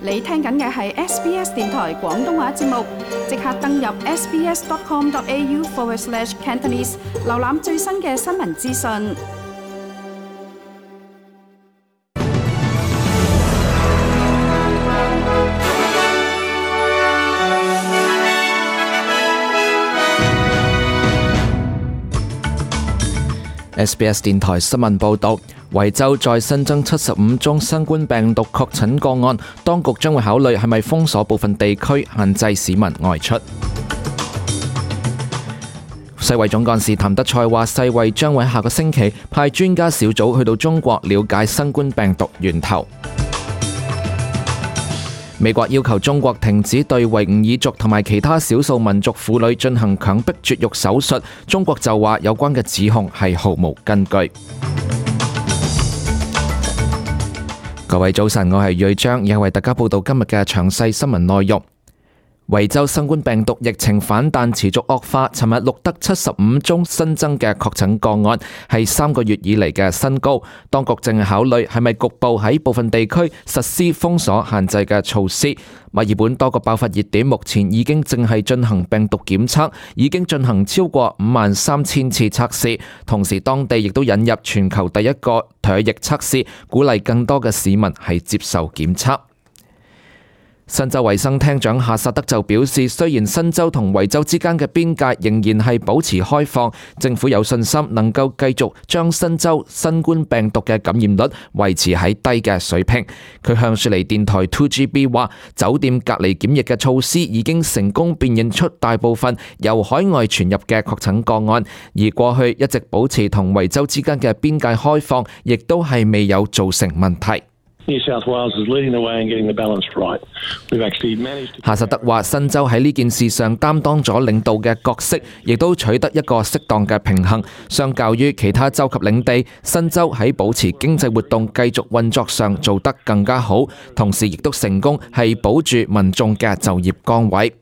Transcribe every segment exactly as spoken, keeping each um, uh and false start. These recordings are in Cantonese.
你聽緊嘅係 S B S 電台廣東話節目，即刻登入 sbs.com.au forward slash Cantonese， 瀏覽最新嘅新聞資訊。S B S 電台新聞報導，維州再新增七十五宗新冠病毒確診個案，當局將會考慮係咪封鎖部分地區，限制市民外出。世衛總幹事譚德塞話，世衛將會下個星期派專家小組去到中國了解新冠病毒源頭。美國要求中國停止對維吾爾族同埋其他少數民族婦女進行強迫絕育手術，中國就話有關嘅指控係毫無根據。各位早晨，我係瑞章，而係為大家報道今日嘅詳細新聞內容。維州新冠病毒疫情反彈持續惡化，尋日錄得七十五宗新增嘅確診個案，係三個月以嚟嘅新高。當局正係考慮係咪局部喺部分地區實施封鎖限制嘅措施。墨爾本多個爆發熱點目前已經正係進行病毒檢測，已經進行超過五萬三千次測試。同時當地亦都引入全球第一個唾液測試，鼓勵更多嘅市民係接受檢測。新州衛生廳長夏薩德就表示，雖然新州同維州之間嘅邊界仍然係保持開放，政府有信心能夠繼續將新州新冠病毒嘅感染率維持喺低嘅水平。佢向雪梨電台 two G B 話，酒店隔離檢疫嘅措施已經成功辨認出大部分由海外傳入嘅確診個案，而過去一直保持同維州之間嘅邊界開放，亦都係未有造成問題。夏薩德話，新州喺呢件事上擔當咗領導嘅角色，亦都取得一個適當嘅平衡。相較於其他州及領地，新州喺保持經濟活動繼續運作上做得更加好，同時亦都成功係保住民眾嘅就業崗位。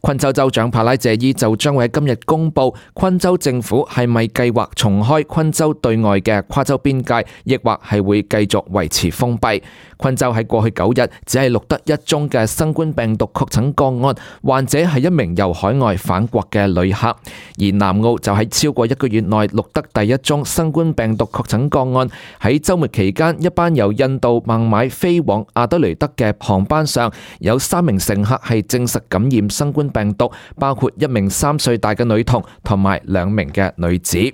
昆州州長帕拉謝伊就將會喺今日公布昆州政府係咪計劃重開昆州對外嘅跨州邊界，亦或係會繼續維持封閉。昆州喺過去九日只係錄得一宗嘅新冠病毒確診個案，患者係一名由海外返國嘅旅客。而南澳就喺超過一個月內錄得第一宗新冠病毒確診個案。喺週末期間，一班由印度孟買飛往阿德雷德嘅航班上，有三名乘客係證實感染新冠病毒，包括一名三歲大嘅女童同埋兩名嘅女子。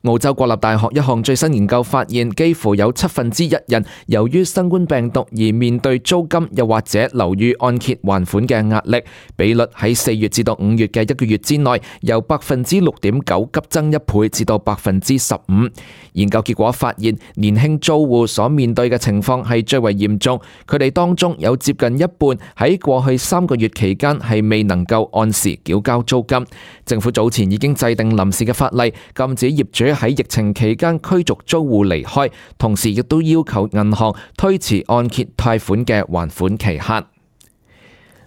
澳洲國立大學一項最新研究發現，幾乎有七分之一人由於新冠病毒而面對租金又或者樓宇按揭還款嘅壓力，比率喺四月至到五月嘅一個月之內，由百分之六點九急增一倍至到百分之十五。研究結果發現，年輕租戶所面對嘅情況係最為嚴重，佢哋當中有接近一半喺過去三個月期間係未能夠按時繳交租金。政府早前已經制定臨時嘅法例，禁止業主喺疫情期間驅逐租戶離開，同時亦都要求銀行推遲按揭貸款嘅還款期限。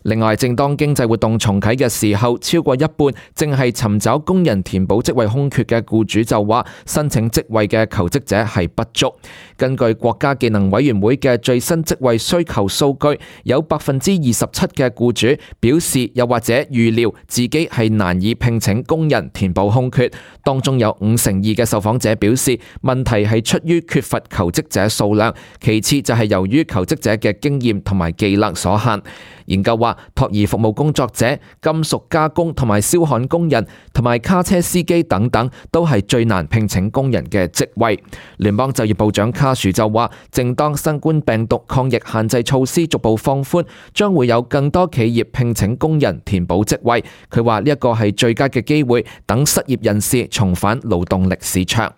另外，正當經濟活動重啟嘅時候，超過一半正係尋找工人填補職位空缺嘅僱主就話，申請職位嘅求職者係不足。根據國家技能委員會嘅最新職位需求數據，有百分之二十七嘅僱主表示又或者預料自己係難以聘請工人填補空缺。當中有五成二嘅受訪者表示，問題係出於缺乏求職者數量，其次就係由於求職者嘅經驗同埋技能所限。研究話，托兒服務工作者、金屬加工同埋燒焊工人同埋卡車司機等等，都係最難聘請工人嘅職位。聯邦就業部長卡殊就話，正當新冠病毒抗疫限制措施逐步放寬，將會有更多企業聘請工人填補職位。佢話呢一個係最佳嘅機會，等失業人士重返勞動力市場。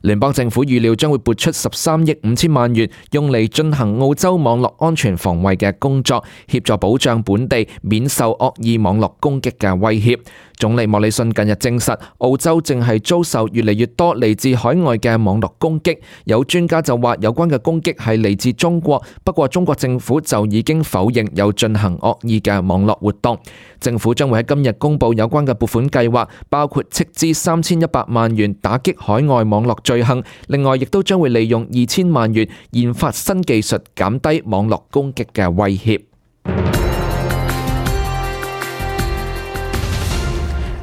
聯邦政府預料將會撥出十三億五千萬元，用嚟進行澳洲網絡安全防衛嘅工作，協助保障本地免受惡意網絡攻擊嘅威脅。總理莫里遜近日證實，澳洲正係遭受越嚟越多嚟自海外嘅網絡攻擊。有專家就話有關嘅攻擊係嚟自中國，不過中國政府就已經否認有進行惡意嘅網絡活動。政府將會喺今日公布有關嘅撥款計劃，包括斥資三千一百萬元打擊海外網絡罪行。另外，亦都將會利用二千萬元研發新技術，減低網絡攻擊嘅威脅。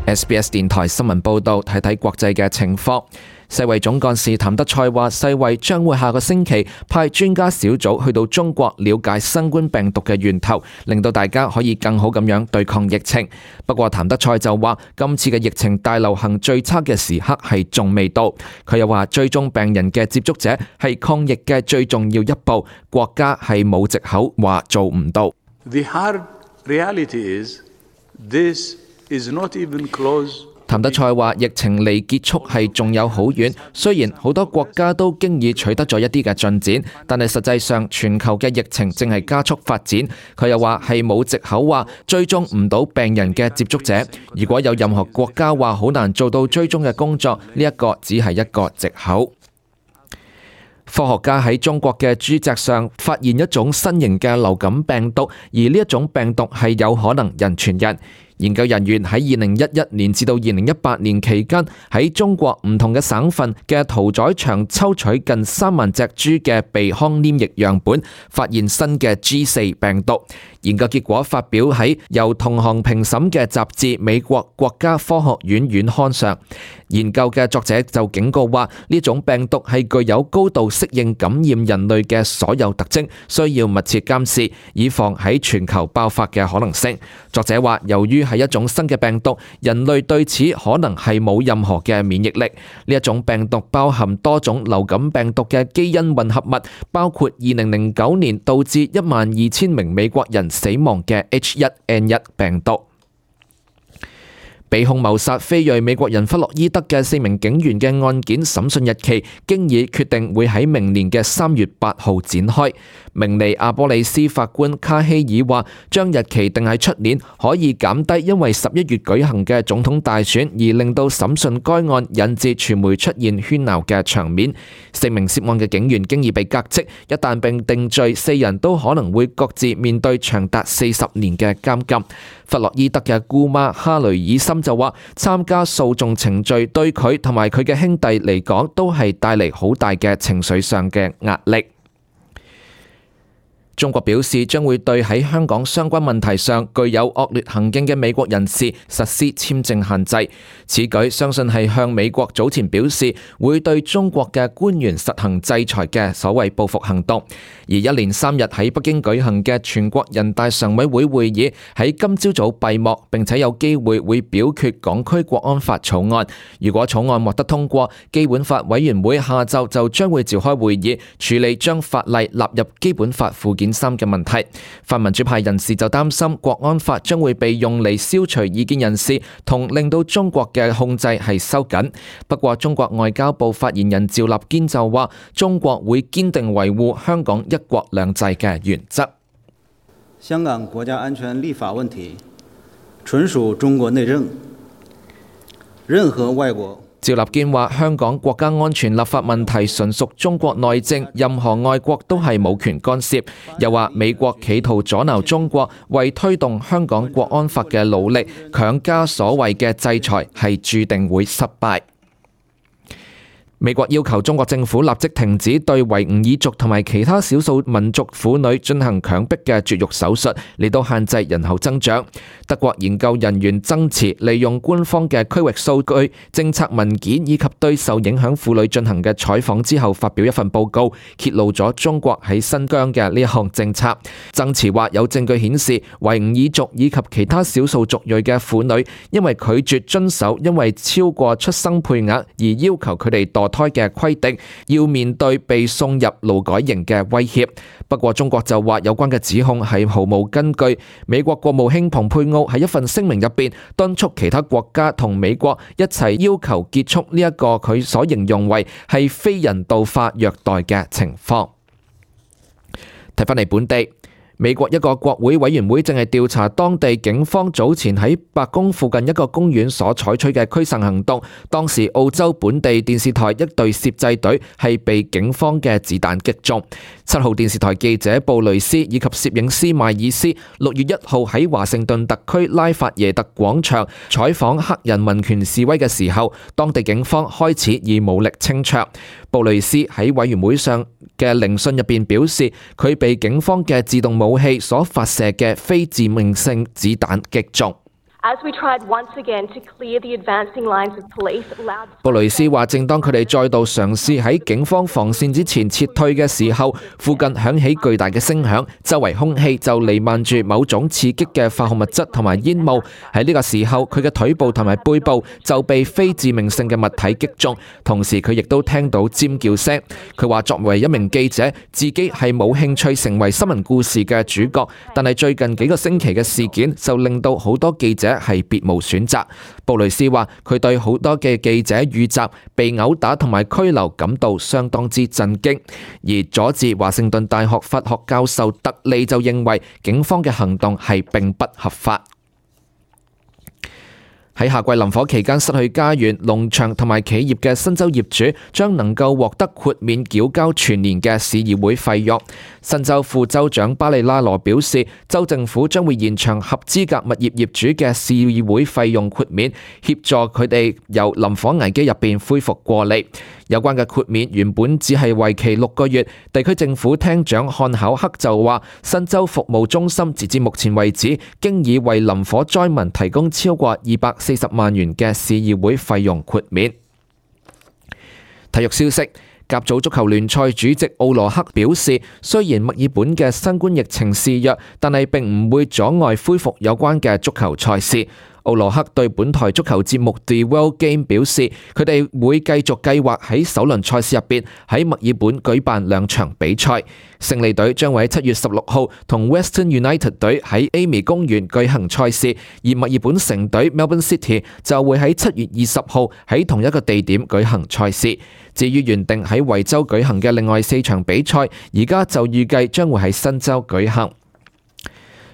S B S 電台新聞報導，睇睇國際嘅情況。世衛總幹事譚德塞話，世衛將會下個星期派專家小組去到中國了解新冠病毒嘅源頭，令到大家可以更好咁樣對抗疫情。不過譚德塞就話，今次嘅疫情大流行最差嘅時刻係仲未到。佢又話，追蹤病人嘅接觸者係抗疫嘅最重要一步，國家係冇藉口話做唔到。The hard reality is this is not even close. 譚德塞話：疫情離結束係仲有好遠，雖然好多國家都經已取得咗一啲嘅進展，但係實際上全球嘅疫情正係加速發展。佢又話係冇藉口話追蹤唔到病人嘅接觸者。如果有任何國家話好難做到追蹤嘅工作，呢一個只係一個藉口。科學家喺中國嘅豬隻上發現一種新型嘅流感病毒，而呢一種病毒係有可能人傳人。研究人員喺二零一一年至到二零一八年期間，喺中國唔同嘅省份嘅屠宰場抽取近三萬隻豬嘅鼻腔黏液樣本，發現新嘅 G 四 病毒。研究結果發表喺由同行評審嘅雜誌《美國國家科學院院刊》上。研究嘅作者就警告話，呢種病毒係具有高度適應感染人類嘅所有特徵，需要密切監視，以防喺全球爆發嘅可能性。作者話，由於係一種新嘅病毒，人類對此可能係冇任何嘅免疫力。呢一種病毒包含多種流感病毒嘅基因混合物，包括二零零九年導致一萬二千名美國人死亡嘅 H 一 N 一 病毒。被控謀殺非裔美國人弗洛伊德嘅四名警員嘅案件審訊日期，經已決定會喺明年嘅三月八號展開。明尼阿波利斯法官卡希爾話，將日期定喺出年，可以減低因為十一月舉行嘅總統大選而令到審訊該案引致傳媒出現喧鬧嘅場面。四名涉案嘅警員經已被革職，一旦被定罪，四人都可能會各自面對長達四十年嘅監禁。弗洛伊德嘅姑媽哈雷爾森就話，參加訴訟程序對佢同埋佢嘅兄弟嚟講都係帶嚟好大嘅情緒上嘅壓力。中國表示將會對喺香港相關問題上具有惡劣行徑嘅美國人士實施簽證限制。此舉相信係向美國早前表示會對中國嘅官員實行制裁嘅所謂報復行動。而一連三日喺北京舉行嘅全國人大常委會會議喺今朝早閉幕，並且有機會會表決港區國安法草案。如果草案獲得通過，基本法委員會下晝就將會召開會議處理將法例納入基本法附件三嘅問題。泛民主派人士就擔心國安法將會被用嚟消除異見人士，同令到中國嘅控制係收緊。不過中國外交部發言人趙立堅就話，中國會堅定維護香港一國兩制嘅原則。香港國家安全立法問題純屬中國內政，任何外國趙立堅話，香港國家安全立法問題純屬中國內政，任何外國都係冇權干涉。又話美國企圖阻撓中國為推動香港國安法嘅努力，強加所謂嘅制裁係注定會失敗。美國要求中國政府立即停止對維吾爾族同埋其他少數民族婦女進行強迫嘅絕育手術，嚟到限制人口增長。德國研究人員曾慈利用官方嘅區域數據、政策文件以及對受影響婦女進行嘅採訪之後，發表一份報告，揭露咗中國喺新疆嘅呢一項政策。曾慈話有證據顯示，維吾爾族以及其他少數族裔嘅婦女因為拒絕遵守因為超過出生配額而要求佢哋墮胎嘅規定，要面對被送入勞改營嘅威脅。不過中國就話有關嘅指控係毫無根據。美國國務卿蓬佩奧喺一份聲明入邊敦促其他國家同美國一齊要求結束呢一個佢所形容為係非人道化虐待嘅情況。睇返嚟本地。美國一個國會委員會正係調查當地警方早前喺白宮附近一個公園所採取嘅驅散行動。當時澳洲本地電視台一隊攝製隊係被警方嘅子彈擊中。七號電視台記者布雷斯以及攝影師邁爾斯六月一號喺華盛頓特區拉法耶特廣場採訪黑人民權示威嘅時候，當地警方開始以武力清場。布雷斯喺委員會上嘅聆訊入邊表示，佢被警方嘅自動武器所發射嘅非致命性子彈擊中。布雷斯話，正當佢哋再度嘗試喺警方防線之前撤退嘅時候，附近響起巨大嘅聲響，周圍空氣就彌漫住某種刺激嘅化學物質同埋煙霧。喺呢個時候，佢嘅腿部同埋背部就被非致命性嘅物體擊中，同時佢亦都聽到尖叫聲。佢話作為一名記者，自己係冇興趣成為新聞故事嘅主角，但係最近幾個星期嘅事件就令到好多記者係別無選擇。布雷斯話佢對好多嘅記者遇襲、被毆打同埋拘留感到相當之震驚。而佐治華盛頓大學法學教授特利就認為警方嘅行動係並不合法。喺夏季林火期間失去家園、農場同埋企業嘅新州業主將能夠獲得豁免繳交全年嘅市議會費用。新州副州長巴里拉羅表示，州政府將會延長合資格物業業主嘅市議會費用豁免，協助佢哋由林火危機入邊恢復過嚟。有關嘅豁免原本只係為期六個月。地區政府廳長漢考克就話，新州服務中心截至目前為止，經已為林火災民提供超過二百四十萬元嘅市議會費用豁免。體育消息，甲組足球聯賽主席奧羅克表示，雖然墨爾本嘅新冠疫情肆虐，但係並唔會阻礙恢復有關嘅足球賽事。奧羅克對本台足球節目 The World Game 表示，佢哋會繼續計劃喺首輪賽事入邊喺墨爾本舉辦兩場比賽。勝利隊將會喺七月十六號同 Western United 隊喺 Amy 公園舉行賽事，而墨爾本城隊 Melbourne City 就會喺七月二十號喺同一個地點舉行賽事。至於原定喺維州舉行嘅另外四場比賽，而家就預計將會喺新州舉行。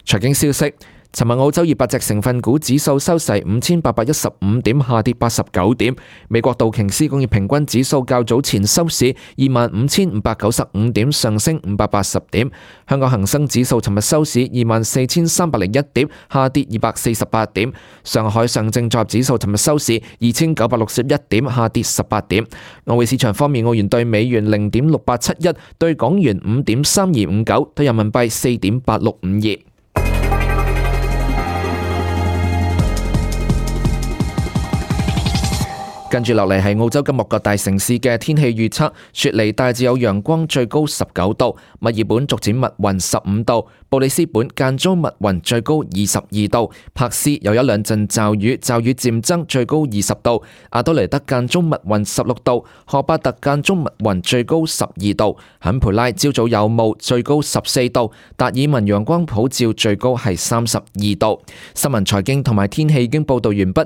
財經消息。尋日澳洲二百隻成分股指數收市五千八百一十五點，下跌八十九點。美國道瓊斯工業平均指數較早前收市二萬五千五百九十五點，上升五百八十點。香港恒生指數尋日收市二萬四千三百零一點，下跌二百四十八點。上海上證綜合指數尋日收市二千九百六十一點，下跌十八點。外匯市場方面，澳元對美元零點六八七一，對港元五點三二五九，對人民幣四點八六五二。跟住落嚟係澳洲今日各大城市嘅天氣預測。雪梨大致有陽光，最高十九度；墨爾本逐漸密雲，十五度；布里斯本間中密雲，最高二十二度；柏斯有一兩陣驟雨，驟雨漸增，最高二十度；阿多尼德間中密雲，十六度；荷巴特間中密雲，最高十二度；坎培拉朝早有霧，最高十四度；達爾文陽光普照，最高係三十二度。新聞財經同埋天氣已經報道完畢。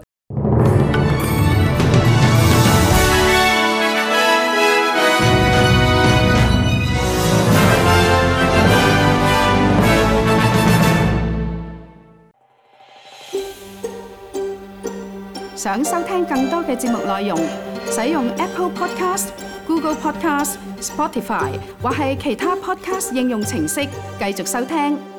想收聽更多嘅節目內容，使用 Apple Podcast、Google Podcast、Spotify 或係其他 Podcast 應用程式繼續收聽。